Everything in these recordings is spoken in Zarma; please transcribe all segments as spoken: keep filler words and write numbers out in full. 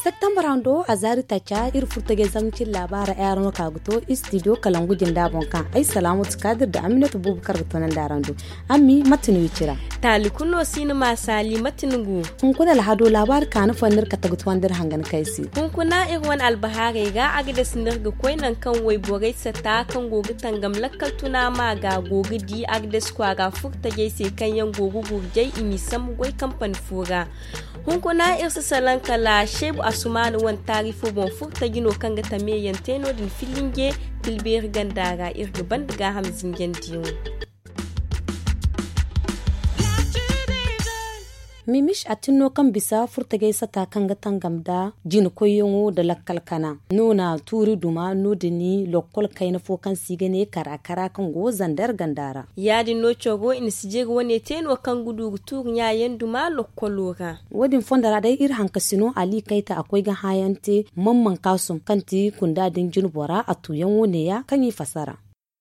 Septembre hando a zaari taaca iri furtajey zamcin laabaara ay araŋ no ka ga to istidiyo kalangu jinda boŋ kaŋ ay salaamatu kaadir nda aminatu buubu kar ga toonandi araŋ do. Ammi mate no i cira? Taali kulu no si ni ma saali mate ni gu? Hunkuna alhado laabaari kaani fooyaŋ no iri kate ga tuwandi iri hangan kay se. Hunkuna iri wane albahaarey ra agades no iri ga koy nangu kaŋ wayborey sata kaŋ go ga tangam lakkal tuna ma ga go ga di agades kwaara furtajey se kaŋ yaŋ go ga gurjay i m'i sambu goy kampani fo ra. Hunkuna iri si salaŋ kala seebu asumaana wane taari fo boŋ furtaji no kaŋ ga tameyaŋ te no- din filinje tilbeeri ganda ra iri ga banda gaaham zinjandiyaŋo. Mimis a tinno kaŋ bisa furtajey sata kaŋ ga tangam nda jina koyyaŋo nda lakkal kana no na tuuri duma no- din lokkol kayna fo kaŋ se i ga ne kara kara kaŋ go zander ganda ra. Ya- din no coro i na sijiri wane te no kaŋ ga du ga tuuri ɲaayaŋ duma lokkolo ra. Wo- din fondo ra day iri hankasino ali kayta a koy ga hãayaŋ te mamman kaasum kaŋ ti kunda din jina bora a tuuyaŋo neeya kaŋ i fassara.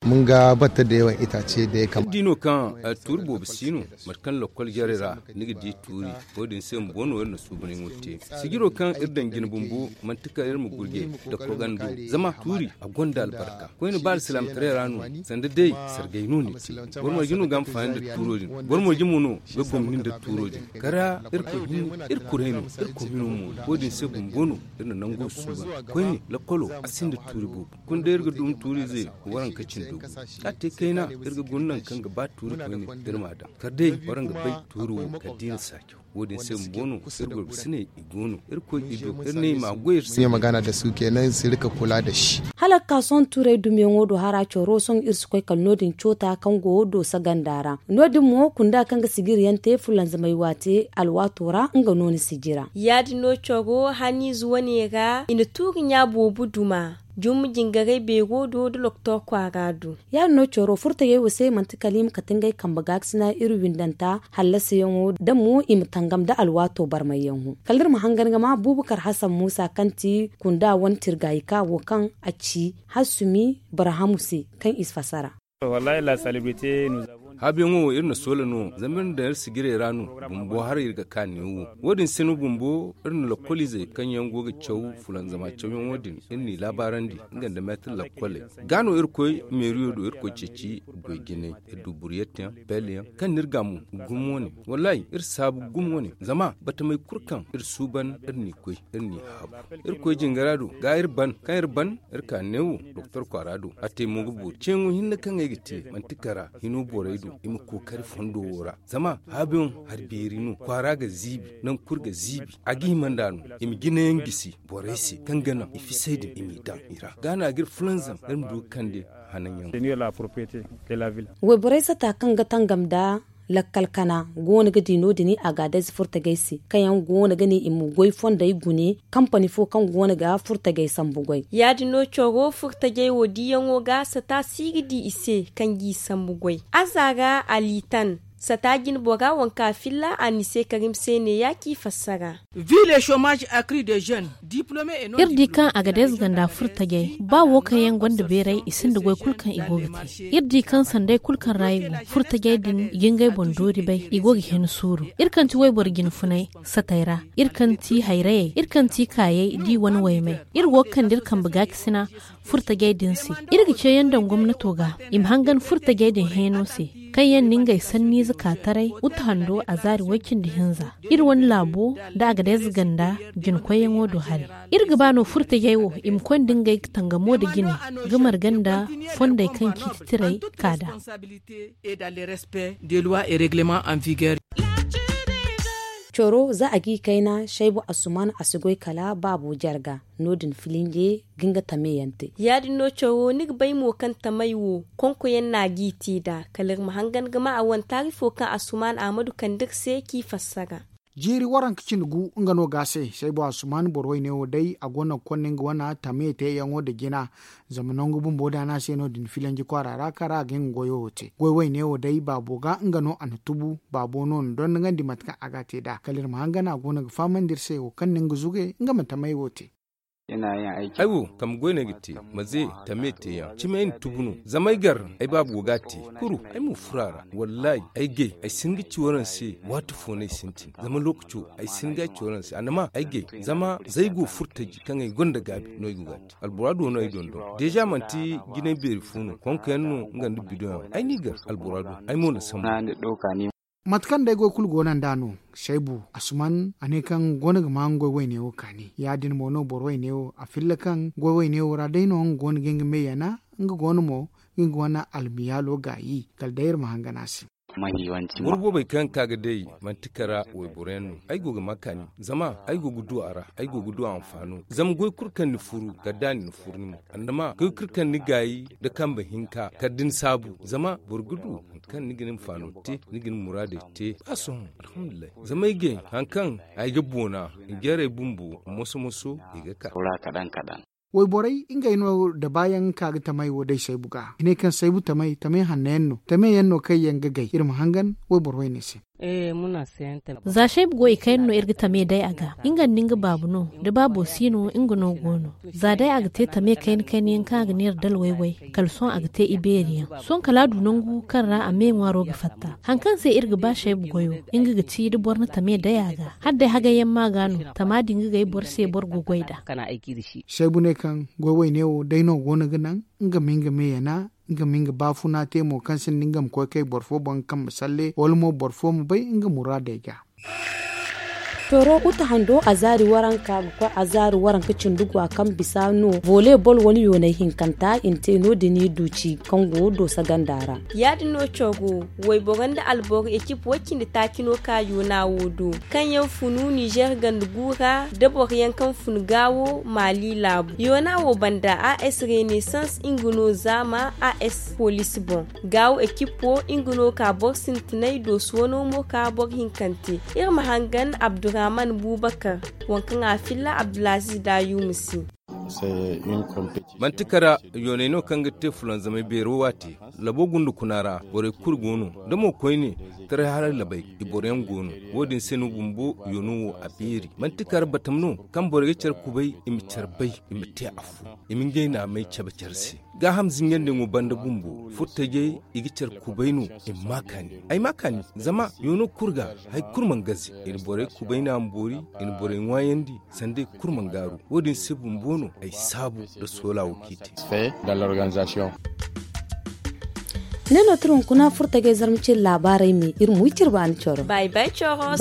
Mun ga batta da yawan itace da ya kamata. Iri di no kaŋ tuuri boobo si no mate kaŋ lakkol jarey ra ni ga di tuuri. Wo- din se bumbo no iri na suubanyaŋo te. Sijiro kaŋ iri daŋ jina bumbo manti kala iri ma gurje nda kogando. Zama tuuri a gonda albarka koyne ba alsilaamataray ra no. Sanda day sargay no ni te. Boro marje no ga a ma faani nda tuuro din boro marje mo no ga gomni nda tuuro din. Kara iri koy hinne iri kuray no iri koy hino mo no wo- din se bumbo no iri na nango suuban koyne lakkolo a sinda tuuri boobo. Kunda iri ga dum tuuriize waranka cindo ga te kayna iri ga guna nangu kaŋ ga ba tuuri koyne iri m'a daŋ kala day waraŋ ga bay tuuri wo kala da i na saajaw. Wo- din se bumbo no iri gorgasiney i go no iri koy i do iri ne i m'a goy iri se. Magana da su kenan sirika kula da shi. Hala ga ka sohõ tuurey dumiyaŋo do hara coro sohõ iri si koy kala no- din coota kaŋ go doosa ganda ra. No- din mo kunda kaŋ ga sijiriyaŋ te fulanzamay waate alwaato ra nga no ni sijira. Ya- din no coro haniize wane ra i na tuuri ɲa boobo duma. Jumma jingaray beero do nda loktor kwaara do. Ya- din no coro furtajey wo se manti kala i ma kate ngey kambe gaakasina iri windanta hallasayaŋo da mo i ma tangam nda alwaato barmayyaŋo kala iri ma hangan ga ma buubakar hasan muusa kaŋ ti kunda wane tirgayika wo kaŋ a ci hasumi barhamu se kaŋ i si fassara. Haabiyaŋo wo iri na soola no zama iri na daŋ iri sijirey ra no. Bumbo haray iri ga ka neewo wo- din se no bumbo iri na lakkoliizey kaŋ yaŋ go ga caw fulanzama cawyaŋo din iri n'i laabaarandi nga nda meetir lakkoley. Ga no iri koy meeriyo do iri koy ceeci goy jinay iri du buriyetteyaŋ peeleyaŋ kaŋ n'iri gaamu gumo wane. Wallaahi iri saabu gumo wane zama batamey kulu kaŋ iri suuban iri n'i goy iri n'i haabu. Iri koy jingara do ga iri ban kaŋ iri ban iri ka neewo doktor kwaara do a te mo ga boori ceeyaŋo hinne kaŋ ay ga te manti kara hino borey do i ma kookari fondo wo ra. Zama haabiyaŋ hari beeri no kwaara ga ziibi nangu kulu ga ziibi a ga hima nd'a no i ma jinayaŋ gisi borey se kaŋ ga naŋ i fisey din i m'i daŋ i ra ga no a ga iri fulanzam iri ma du ga kande hananyaŋo. Wayborey sata kaŋ ga tangam nda lakkal kana go no ga di no- din agaadez furtajey se kaŋ yaŋ go no ga ne i ma goy fondey gune kampani fo kaŋ go no ga furtajey sambu goy. Ya- din no coro furtajey wo diyaŋo ga sata si ga di i se kaŋ g'i sambu goy. Azaara alitan sata jinbora waŋ kaŋ a filla a n'i se karim se neeya k'i fassara. Iri di kaŋ agadez ganda furtajey ba wo kaŋ yaŋ gonda beeray i sinda goy kulu kaŋ i go ga te. Iri di kaŋ sanday kulu kaŋ ra i go furtajey din i ga ngey boŋ doori bay i go ga hin suuru. Iri kaŋ ti wayboro jinfunay satay ra iri kaŋ ti hayrayey iri kaŋ ti kaayey da i wane waymey iri go ga kande iri kambe gaakasina furtajey din se. Iri ga ceeyaŋ daŋ gomnato ga i ma hangan furtajey din heeno se kaŋ yaŋ na ngey sanniize ka taray uta hando a zaari way cindi hinza. Iri wane laabo nda agadez ganda jinkoyyaŋo do hari. Iri ga ba no furtajey wo i ma konda ngey tangamo nda jine ga marga nda fondey kaŋ ciiti tiray ka da. Coro za a g'i kayna shaybu asuman a si goy kala baabo jarga. No- din filinje ga nga tameyaŋ te. Ya- din no coro ni ga bay mo kaŋ tamey wo konkoyaŋ no a g'i te nd'a kala iri ma hangan ga ma a wane taari fo kaŋ asuman ahmadu kande iri se k'i fassara. Jiiri waranka cindi gu nga no ga a se saybu asuman boro wayne wo day a go no ga konda nga wane tame teeyaŋo nda jina. Zama nangu bumbo da a ne a se no- din filanji kwaara ra kaŋ ra a ga hin ga goyo wo te goy wayne wo day baabo ga nga no a na tubu. Baabo no na dondonandi mate kaŋ a ga a te nd'a kala iri ma hangan a go no ga fahamandi iri se wo kaŋ na nga zuge nga ma tamey wo te. Ay wo kambe goy no ay ga te, maze tame teeyaŋ cimi ay na tubu no. Zama ay gar, ay baaba go ga a te. Kuru ay mo furo a ra. Wallaahi ay gay ay si hin ga ci waraŋ se. Waati fo no ay sintin zama lookaco ay si hin ga ay ci waraŋ se annama ay gay. Zama za ay go furtaji kaŋ ay gonda gaabi no ay go ga a te. Albora do no ay dondon deeza manti jinay beeri fo no konko yaŋ no nga nda bidoŋ yaŋ ay n'i gar. Albora do ay mo na sambu. Mate kaŋ day goy kulu go no nd'a no. Saybu asuman a ne kaŋ go no ga ma nga goy wayne wo kaani ya- din mo no boro wayne wo a filla kaŋ goy wayne wo ra day no nga go no ga nga me yana. Nga go no mo ga nga wane almiyaalo gaayi kala day iri ma hangan a se. Boro boobey kaŋ ka ga day manti kara wayboro yaŋ no. Ay go ga ma kaani zama ay go ga du a ra. Ay go ga du a anfaano zama goy kulu kaŋ ni furu kala da a na ni furu ni mo. Annama goy kulu kaŋ ni gaayi nda kambe hinka kala da ni saabu zama boro ga du hari kaŋ ni ga ni anfaano te ni ga ni muraadey te. Ba sohõ alhamdulillahi zama ay gay hari kaŋ ay ga boona. Njarey bumbo moso-moso i ga ka. Wayborey ngey no da baayaŋ ka ga tamey wo day saybu ga i ne kaŋ saybu tamey tamey hanno yaŋ no tamey yaŋ no kaŋ yaŋ ga gay iri ma hangan wayboro wayne se. Za shaybu go i kayna no iri ga tame day a ga. Nga nda nga baabu no da baabo si no nga no go no. Za day a ga te tame kayna kayna yaŋ kaŋ a ga neera dala wayway kala sohõ a ga te ibeeri yaŋ. Sohõ kala a du nangu kaŋ ra a me ŋwaaro ga fatta. Hari kaŋ se iri ga ba shaybu goyo nga ga ci da boro na tame day a ga. Hala day hagay yaŋ ma ga no tama din ga gay boro se boro ga goy nd'a. Shaybu ne kaŋ goy wayne wo day no go no ga naŋ nga ma nga me yana. Nga ma nga baafuna te mo kaŋ sinda nga ma koy kay boro fo boŋ ga kambe salle wala mo boro fo ma bay nga muraadey ga. Tooro uta hando azaari waranka ga koy azaari waranka cindi go a kaŋ bisa no volley ball wane yoonay hinkanta i na te no- din i du ci kaŋ go doosa ganda ra. Ya- din no coro wayboro nda alboro ekip way- cindi taaci no ka yoona wo do kaŋ yaŋ funu nizer ganda gu ra nda boro yaŋ kaŋ funu gaawo maali laabu yoona wo banda a s renaissance nga no zaama a s poliisi boŋ. Gaawo ekipo nga no ka boro sintinay doosu wano mo ka boro hinkante. Iri ma hangan abdurrahman bubakar waŋ kaŋ a filla abdulaziz dayumu se. Manti kara yoonay no kaŋ ga te fulanzamay beero waati. Labo gunda kuna ra borey kulu go no da mo koyne taray haray labay i boroyaŋ go no. Wo- din se no bumbo yoono wo a beeri manti kara batam no kaŋ borey ga care kubay i ma care bay i ma te afo i ma ngey naamay cabe care se. Gaaham zinjandiyaŋo banda bumbo furtajey i ga care kubay no. I ma ma kaani ay ma kaani zama yoono kulu ga hari kulu mana gaze. I na borey kubay naama boori i na borey ŋwaayandi sanda i kulu mana gaaru. Wo- din se bumbo no ay saabu nda soola wo kaŋ i te. Ne no tira hunkuna furtajey zarma cire laabaarey me iri ma wi cire baani coro. Bay bay coro.